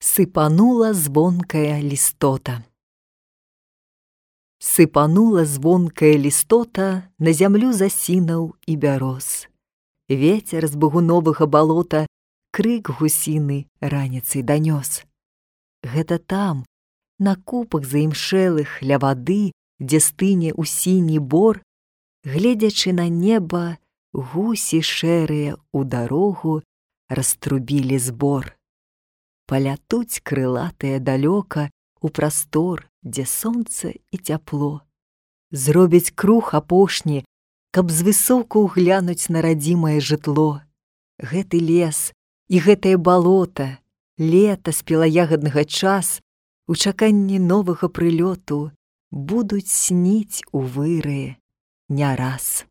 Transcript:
Сыпанула звонкая лістота. Сыпанула звонкая лістота на зямлю засінаў і бяроз. Вецер з багуновага балота крык гусіны раніцай данёс. Гэта там, на купах заімшэлых ля вады, дзе стыне ў сіні бор, гледзячы на неба, гусі шэрыя ў дарогу раструбілі збор. Палятуць крылатыя далёка у прастор, дзе сонца і цяпло. Зробяць круг апошні, каб звысоку ўглянуць на радзімае жытло. Гэты лес і гэтае балота, лета спелаягаднага час, у чаканні новага прылёту будуць сніць у выры не раз.